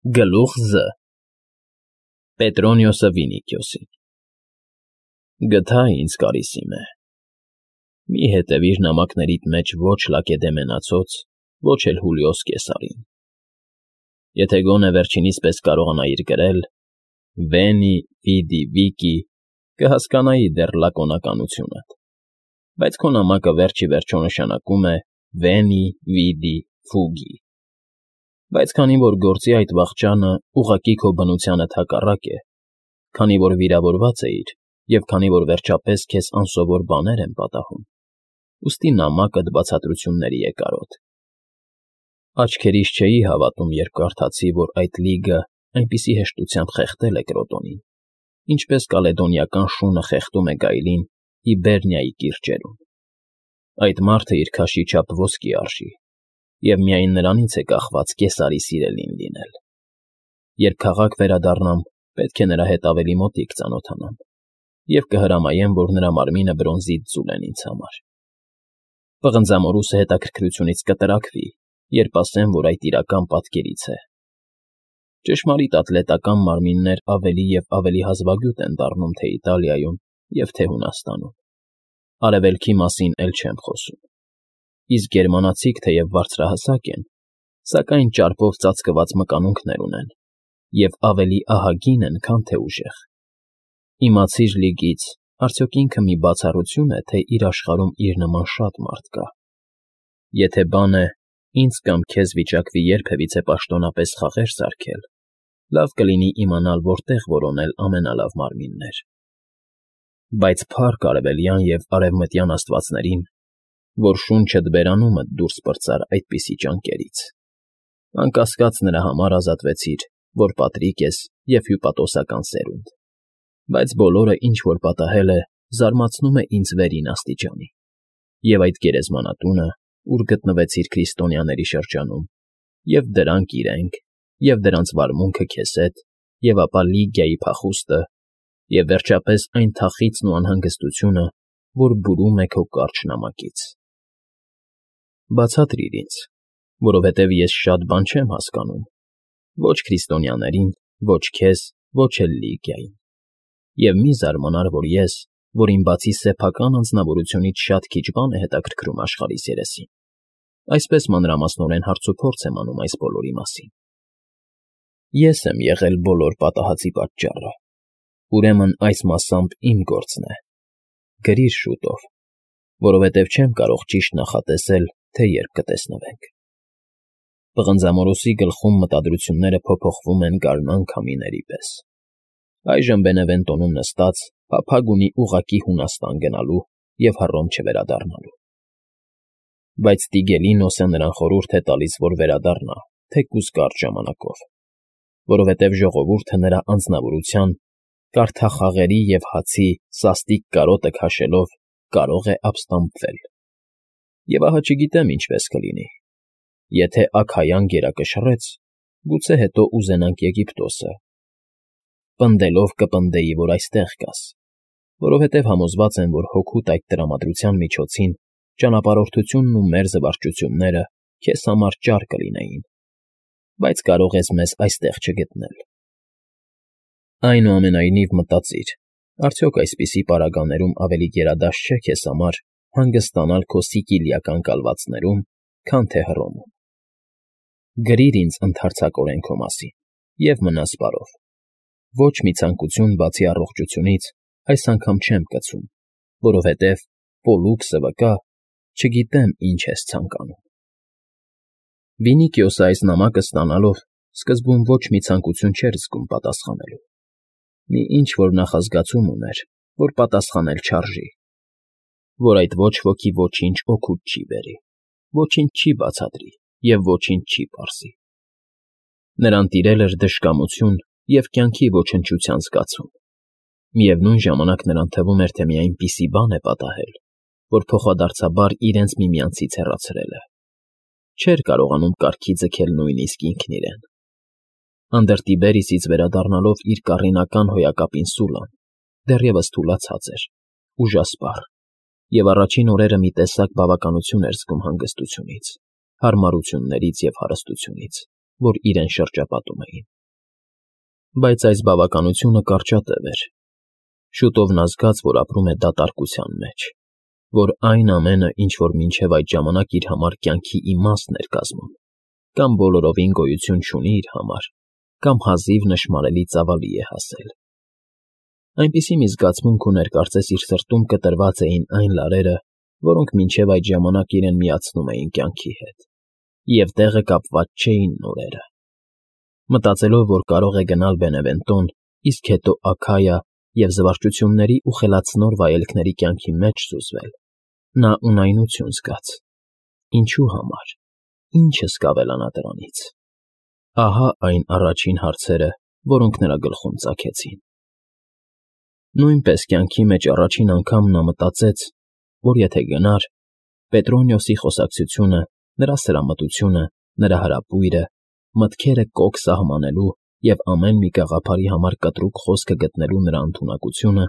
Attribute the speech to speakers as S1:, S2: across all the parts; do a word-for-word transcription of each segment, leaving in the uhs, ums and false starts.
S1: Գլուխ Զ Պետրոնիոսը Վինիքիոսին Գթա ինձ կարիսիմե, մի հետևիր նամակներիդ մեջ ոչ Լակեդեմոնացոց, ոչ էլ Հուլիոս Կեսարին, եթե գոնե վերջինիս պես կարողանայիր գրել, Վենի, Վիդի, Վիկի, կհասկանայի դեռ լակոնականությունդ, բայց քո նամակը վերջ ի վերջո նշանակում է Վենի, Վիդի, Ֆուգի, բայց քանի որ գործի այդ վախճանը ուղղակի քո բնությանդ հակառակ է, քանի որ վիրավորված էիր և քանի որ վերջապես քեզ անսովոր բաներ են պատահում, ուստի նամակդ բացատրությունների է կարոտ։ Աչքերիս չէի հավատում, երբ կարդացի, որ այդ լիգը այնպիսի հեշտությամբ խեղդել է Կրոտոնին, ինչպես կալեդոնիական շունը խեղդում է գայլին Հիբերնիայի կիրճերում։ Այդ մարդը իր քաշի չափ ոսկի արժի, և միայն նրանից է կախված Կեսարի սիրելին լինել։ Երբ քաղաք վերադառնամ, պետք է նրա հետ ավելի մոտիկ ծանոթանամ, և կհրամայեմ, որ նրա մարմինը բրոնզից ձուլեն ինձ համար։ Պղնձամորուսը հետաքրքրությունից կտրաքվի, երբ ասեմ, որ այդ իրական պատկերից է։ Ճշմարիտ ատլետական մարմիններ ավելի և ավելի հազվագյուտ են դառնում թե Իտալիայում և թե Հունաստանում։ Արևելքի մասին էլ չեմ խոսում։ Իսկ գերմանացիք թեև բարձրահասակ են, սակայն ճարպով ծածկված մկանունքներ ունեն և ավելի ահագին են, քան թե ուժեղ։ Իմացիր լիգից, արդյոք ինքը մի բացառություն է, թե իր աշխարհում իր նման շատ մարդ կա։ Եթե բան է, ինձ կամ քեզ վիճակվի երբևիցե պաշտոնապես խաղեր սարքել, լավ կլինի իմանալ որտեղ որոնել ամենալավ մարմիններ։ Բայց փառք արևելյան և արևմտյան աստվածներին, որ շունչդ բերանումդ դուրս պրծար այդպիսի ճանկերից։ Անկասկած նրա համար ազատվեցիր, որ պատրիկ ես և հյուպատոսական սերունդ, բայց բոլորը, ինչ որ պատահել է, զարմացնում է ինձ վերին աստիճանի, և այդ գերեզմանատունը, ուր գտնվեցիր քրիստոնյաների շրջանում, և դրանք իրենք, և դրանց վարմունքը քեզ հետ, և ապա Լիգիայի փախուստը, և վերջապես այն թախիծն ու անհանգստությունը, որ բուրում է քո կարճ նամակից։ Բացատրիր ինձ, որովհետև ես շատ բան չեմ հասկանում, ոչ քրիստոնյաներին, ոչ քեզ, ոչ էլ Լիգիային, և մի զարմանար, որ ես, որին բացի սեփական անձնավորությունից շատ քիչ բան է հետաքրքրում աշխարհիս երեսին, այսպես մանրամասնորեն հարցուփորձ եմ անում այս բոլորի մասին։ Ես եմ եղել բոլոր պատահածի պատճառը, ուրեմն այս մասամբ իմ գործն է։ Գրիր շուտով, որովհետև չեմ կարող ճիշտ նախատեսել, թե երբ կտեսնվենք։ Պղնձամորուսի գլխում մտադրությունները փոփոխվում են գարնան քամիների պես։ Այժմ Բենևենտոնում նստած, փափագ ունի ուղղակի Հունաստան գնալու և Հռոմ չվերադառնալու։ Բայց Տիգելինոսը նրան խորհուրդ է տալիս, որ վերադառնա, թեկուզ կարճ ժամանակով, որովհետև ժողովուրդը նրա անձնավորության, կարթախաղերի և հացի սաստիկ կարոտը քաշելով կարող է ապստամբվել։ Եվ ահա չգիտեմ ինչպես կլինի։ Եթե Աքայան գերակշռեց, գուցե հետո ուզենանք Եգիպտոսը։ Պնդելով կպնդեի, որ այստեղ կաս, որովհետև համոզված եմ, որ հօգուտ այդ տրամադրության միջոցին ճանապարհորդությունն ու մեր զվարճությունները քեզ համար ճար կլինեին, բայց կարող ես մեզ այստեղ չգտնել։ Այնուամենայնիվ մտածիր, արդյոք այսպիսի պարագաներում ավելի գերադաստ չէ քեզ համար հանգստանալ քո սիցիլիական կալվածներում, քան թե Հռոմում։ Գրիր ինձ ընդհարձակորեն քո մասին և մնաս բարով։ Ոչ մի ցանկություն բացի առողջությունից այս անգամ չեմ կցում, որովհետև Պոլուքսը վկա, չգիտեմ ինչ ես ցանկանում։ Վինիքիոսը այս նամակը ստանալով սկզբում ոչ մի ցանկություն չէր զգում պատասխանելու։ Մի ինչ֊որ նախազգացում ուներ, որ պատասխանել չարժի, որ այդ ոչ ոքի ոչինչ օգուտ չի բերի, ոչինչ չի բացատրի և ոչինչ չի պարզի։ Նրան տիրել էր դժկամություն և կյանքի ոչնչության զգացում։ Միևնույն ժամանակ նրան թվում էր, թե մի այնպիսի բան է պատահել, որ փոխադարձաբար իրենց միմյանցից հեռացրել է։ Չէր կարողանում կարգի ձգել նույնիսկ ինքն իրեն։ Անդր Տիբերիսից վերադառնալով իր կառինական հոյակապին Սուլան, դեռևս թուլացած էր, ուժասպառ, և առաջին օրերը մի տեսակ բավականություն էր զգում հանգստությունից, հարմարություններից և հարստությունից, որ իրեն շրջապատում էին։ Բայց այս բավականությունը կարճատև էր։ Շուտով նա զգաց, որ ապրում է դատարկության մեջ, որ այն ամենը, ինչ որ մինչև այդ ժամանակ իր համար կյանքի իմաստն էր կազմում, կամ բոլորովին գոյություն չունի իր համար, կամ հազիվ նշմարելի ծավալի է հասել։ Այնպիսի մի զգացմունք ուներ, կարծես իր սրտում կտրված էին այն լարերը, որոնք մինչև այդ ժամանակ իրեն միացնում էին կյանքի հետ, և տեղը կապված չէին նորերը։ Մտածելով, որ կարող է գնալ Բենևենտոն, իսկ հետո Աքայա և զվարճությունների ու խելացնոր վայելքների կյանքի մեջ սուզվել, նա ունայնություն զգաց։ Ինչու համար, ի՞նչը սկավելանա դրանից։ Ահա այն առաջին հարցերը, որոնք նրա գլխում ծագեցին։ Նույնպես կյանքի մեջ առաջին անգամ նա մտածեց, որ եթե գնար, Պետրոնիոսի խոսակցությունը, նրա սրամտությունը, նրա հրապույրը, մտքերը կոկ սահմանելու և ամեն մի գաղափարի համար կտրուկ խոսքը գտնելու նրա ընդունակությունը,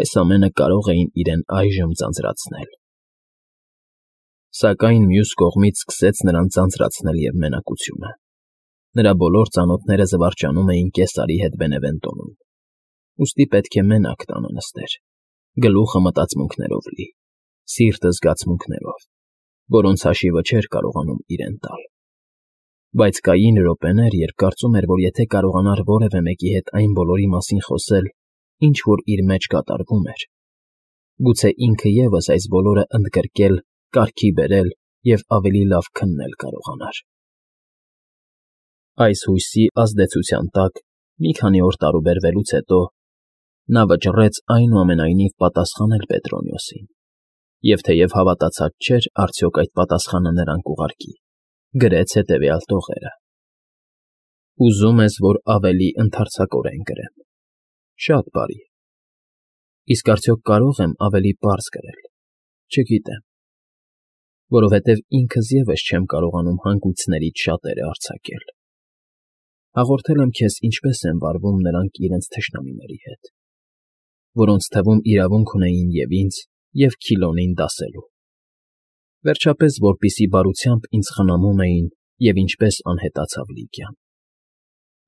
S1: այս ամենը կարող էին իրեն այժմ ձանձրացնել։ Սակայն մյուս կողմից սկսեց նրան ձանձրացնել և մենակությունը։ Նրա բոլոր ծանոթները զվարճանում էին Կեսարի հետ Բենևենտոնում, ուստի պետք է մենակ տանը նստեր, գլուխը մտածմունքներով լի, սիրտը զգացմունքներով, որոնց հաշիվը չէր կարողանում իրեն տալ։ Բայց կային րոպեներ, երբ կարծում էր, որ եթե կարողանար որևէ մեկի հետ այն բոլորի մասին խոսել, ինչ որ իր մեջ կատարվում էր, գուցե ինքը ևս այս բոլորը ընդգրկել, կարգի բերել և ավելի լավ քննել կարողանար։ Այս հույսի ազդեցության տակ մի քանի օր տարուբերվելուց հետո նա վճռեց այնուամենայնիվ պատասխանել Պետրոնիոսին, և թեև հավատացած չէր արդյոք այդ պատասխանը նրան կուղարկի, գրեց հետևյալ տողերը. «Ուզում ես, որ ավելի ընդարձակորեն գրեմ։ Շատ բարի։ Իսկ արդյոք կարող եմ ավելի պարզ գրել։ Չգիտեմ, որովհետև ինքս ևս չեմ կարողանում հանգույցներից շատերը արձակել։ Հաղորդել եմ քեզ, ինչպես են վարվում նրանք իրենց թշնամիների հետ, որոնց թվում իրավունք ունեին և ինձ, և Քիլոնին դասելու։ Վերջապես, որպիսի բարությամբ ինձ խնամում էին և ինչպես անհետացավ Լիգիան։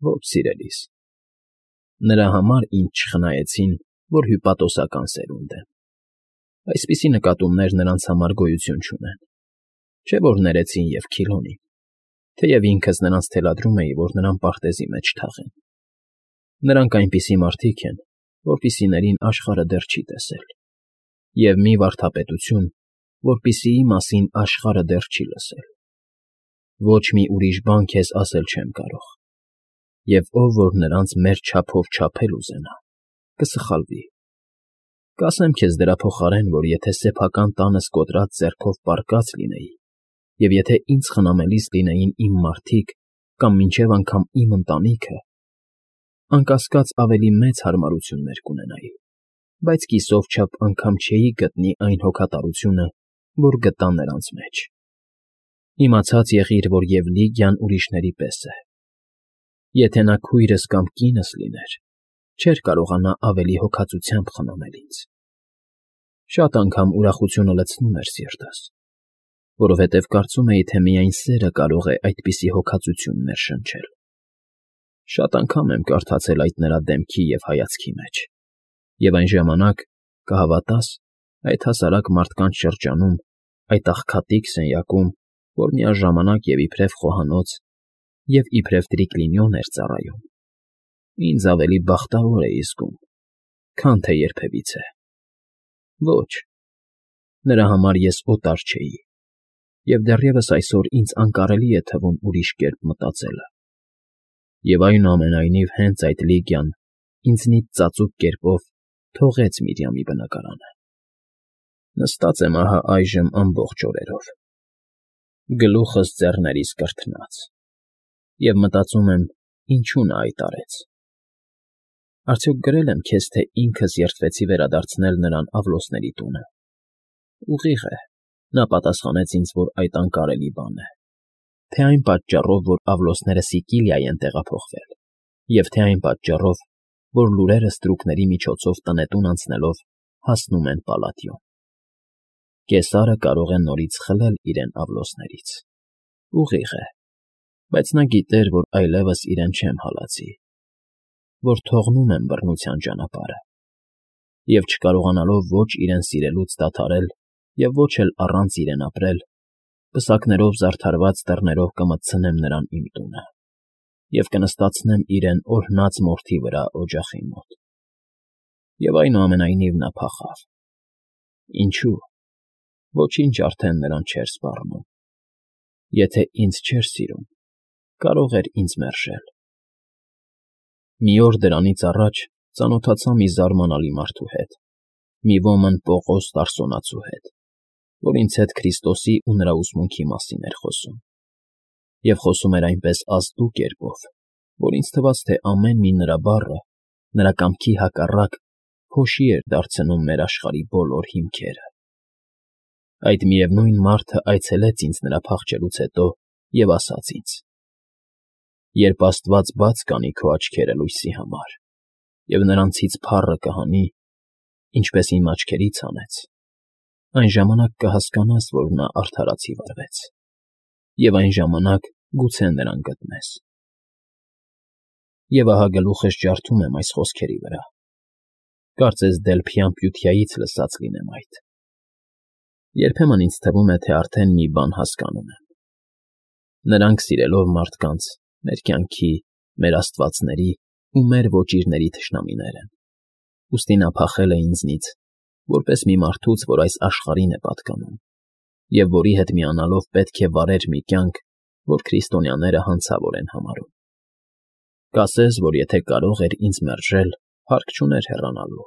S1: Ոչ, սիրելիս, նրա համար ինձ չխնայեցին, որ հյուպատոսական սերունդ եմ։ Այսպիսի նկատումներ նրանց համար գոյություն չունեն, չէ՞ որ ներեցին և Քիլոնին, թեև ինքս նրանց թելադրում էի, որ նրան պարտեզի մեջ թաղեն։ Նրանք այնպիսի մարդիկ են, որպիսիներին աշխարհը դեռ չի տեսել, և մի վարդապետություն, որպիսիի մասին աշխարհը դեռ չի լսել։ Ոչ մի ուրիշ բան քեզ ասել չեմ կարող, և ով որ նրանց մեր չափով չափել ուզենա, կսխալվի։ Կասեմ քեզ դրա փոխարեն, որ եթե սեփական տանս կոտրած ձեռքով պառկած լինեի, և եթե ինձ խնամելիս լինեին իմ մարդիկ կամ մինչև անգամ իմ ընտանիքը, անկասկած ավելի մեծ հարմարություններ կունենայի, բայց կիսով չափ անգամ չէի գտնի այն հոգատարությունը, որ գտա նրանց մեջ։ Իմացած եղիր, որ և Լիգիան ուրիշների պես է։ Եթե նա քույրս կամ կինս լիներ, չէր կարողանա ավելի հոգածությամբ խնամել ինձ։ Շատ անգամ ուրախությունը լցնում էր սիրտս, որովհետև կարծում էի, թե միայն սերը կարող է այդպիսի հոգածություն ներշնչել։ Շատ անգամ եմ կարդացել այդ նրա դեմքի և հայացքի մեջ, և այն ժամանակ, կհավատաս, այդ հասարակ մարդկանց շրջանում, այդ աղքատիկ սենյակում, որ միաժամանակ և իբրև խոհանոց և իբրև տրիկլինիոն էր ծառայում, ինձ ավելի բախտավոր էի զգում, քան թե երբևիցե։ Ոչ, նրա համար ես օտար չէի, և դեռևս այսօր ինձ անկարելի է թվում ուրիշ կերպ մտածելը։ Եվ այնուամենայնիվ հենց այդ Լիգիան ինձնից ծածուկ կերպով թողեց Միրիամի բնակարանը։ Նստած եմ ահա այժմ ամբողջ օրերով, գլուխս ձեռներիս կրթնած, և մտածում եմ, ինչու նա այդ արեց։ Արդյոք գրել եմ քեզ, թե ինքս երդվեցի վերադարձնել նրան Ավլոսների տունը։ Ուղիղ է, նա պատասխանեց ինձ, որ այդ անկարելի բան է, թե այն պատճառով, որ Ավլոսները Սիկիլիա են տեղափոխվել, և թե այն պատճառով, որ լուրերը ստրուկների միջոցով տնետուն անցնելով հասնում են Պալատիոն։ Կեսարը կարող է նորից խլել իրեն Ավլոսներից։ Ուղիղ է, Բայց նա գիտեր, որ այլևս իրեն չեմ հալածի, որ թողնում եմ բռնության ճանապարհը և, չկարողանալով ոչ իրեն սիրելուց դադարել և ոչ էլ առանց իրեն ապրել, պսակներով զարդարված դռներով կմտցնեմ նրան իմ տունը և կնստացնեմ իրեն օրհնած մորթի վրա օջախի մոտ։ Եվ այնուամենայնիվ նա փախավ։ Ինչո՞ւ։ Ոչինչ արդեն նրան չէր սպառնում։ Եթե ինձ չէր սիրում, կարող էր ինձ մերժել։ Մի օր դրանից առաջ ծանոթացա մի զարմանալի մարդու հետ, մի ոմն Պողոս Տարսոնացու հետ, որ ինձ հետ Քրիստոսի ու նրա ուսմունքի մասին էր խոսում, և խոսում էր այնպես ազդու կերպով, որ ինձ թվաց, թե ամեն մի նրա բառը, նրա կամքի հակառակ, փոշի էր դարձնում մեր աշխարհի բոլոր հիմքերը։ Այդ միևնույն մարդը այցելեց ինձ նրա փախչելուց հետո և ասաց ինձ. «Երբ Աստված բաց կանի քո աչքերը լույսի համար, և նրանցից փառը կհանի, ինչպես իմ աչքերից հանեց, այն ժամանակ կհասկանաս, որ նա արդարացի վարվեց, և այն ժամանակ գուցե նրան գտնես»։ Եվ ահա գլուխս ջարդում եմ այս խոսքերի վրա, կարծես Դելփյան Պյութիայից լսած լինեմ այդ։ Երբեմն ինձ թվում է, թե արդեն մի բան հասկանում եմ. նրանք սիրելով մարդկանց մեր կյանքի, մեր աստվածների ու մեր ոճիրների թշնամիներ են, ուստի նա փախել է ինձնից, որպես մի մարդուց, որ այս աշխարհին է պատկանում, և որի հետ միանալով պետք է վարեր մի կյանք, որ քրիստոնյաները հանցավոր են համարում։ Կասես, որ եթե կարող էր ինձ մերժել, հարկ չուներ հեռանալու,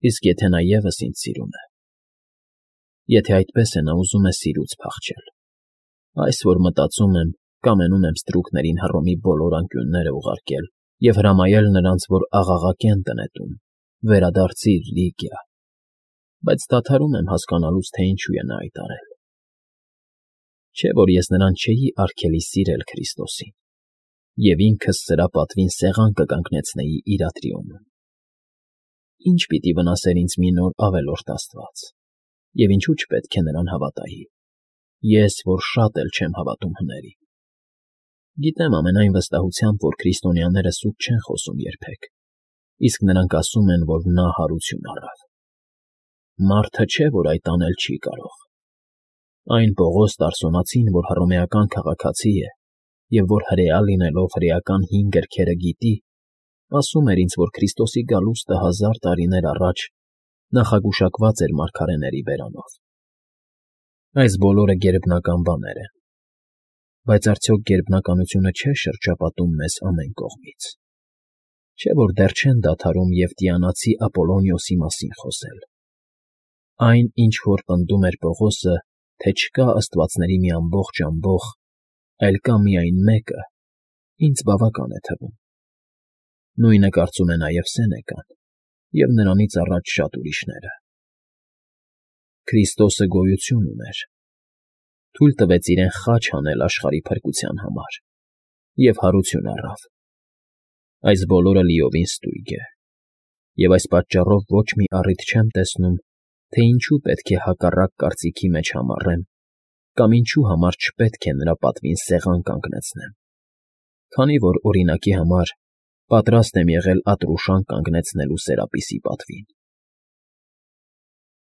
S1: իսկ եթե նա ևս ինձ սիրում է։ Եթե այդպես է, նա ուզում է սիրուց փախչել։ Այս, որ մտածում եմ, կամենում եմ ստրուկներին Հռոմի բոլոր անկյունները ուղարկել և հրամայել նրանց, որ աղաղակեն տնետում. «Վերադարձի՛ր, Լիգիա», բայց դադարում եմ հասկանալուց, թե ինչու է նա այդ արել։ Չէ՞ որ ես նրան չէի արգելի սիրել Քրիստոսին, և ինքս սրա պատվին սեղան կկանգնեցնեի իր ատրիոնում։ Ի՞նչ պիտի վնասեր ինձ մի նոր ավելորդ Աստված, և ինչու չպետք է նրան հավատայի, ես, որ շատ էլ չեմ հավատում հների։ Գիտեմ ամենայն վստահությամբ, որ քրիստոնյաները սուտ չեն խոսում երբեք, իսկ նրանք ասում են, որ նա հարություն առավ։ Մարդը չէ, որ այդ անել չի կարող։ Այն Պողոս Տարսոնացին, որ հռոմեական քաղաքացի է և որ հրեա լինելով հրեական հին գրքերը գիտի, ասում էր ինձ, որ Քրիստոսի գալուստը հազար տարիներ առաջ նախագուշակված էր մարգարեների բերանով։ Այս բոլորը գերբնական բաներ են, բայց արդյոք գերբնականությունը չէ շրջապատում մեզ ամեն կողմից։ Չէ՞ որ դեռ չեն դադարում Եվտիանացի Ապոլոնիոսի մասին խոսել։ Այն, ինչ որ պնդում էր Պողոսը, թե չկա աստվածների մի ամբողջ ամբոխ, այլ կա միայն մեկը, ինձ բավական է թվում։ Նույնը կարծում է նաև Սենեկան և նրանից առաջ շատ ուրիշները։ Քրիստոսը գոյություն ուներ, թույլ տվեց իրեն խաչ հանել աշխարհի փրկության համար և հարություն առավ։ Այս բոլորը լիովին ստույգ է, և այս պատճառով ոչ մի առիթ չեմ տեսնում, թե ինչու պետք է հակառակ կարծիքի մեջ համառեմ կամ ինչու համար չպետք է նրա պատվին սեղան կանգնեցնեմ, քանի որ, օրինակի համար, պատրաստ եմ եղել Ատրուշան կանգնեցնելու Սերապիսի պատվին։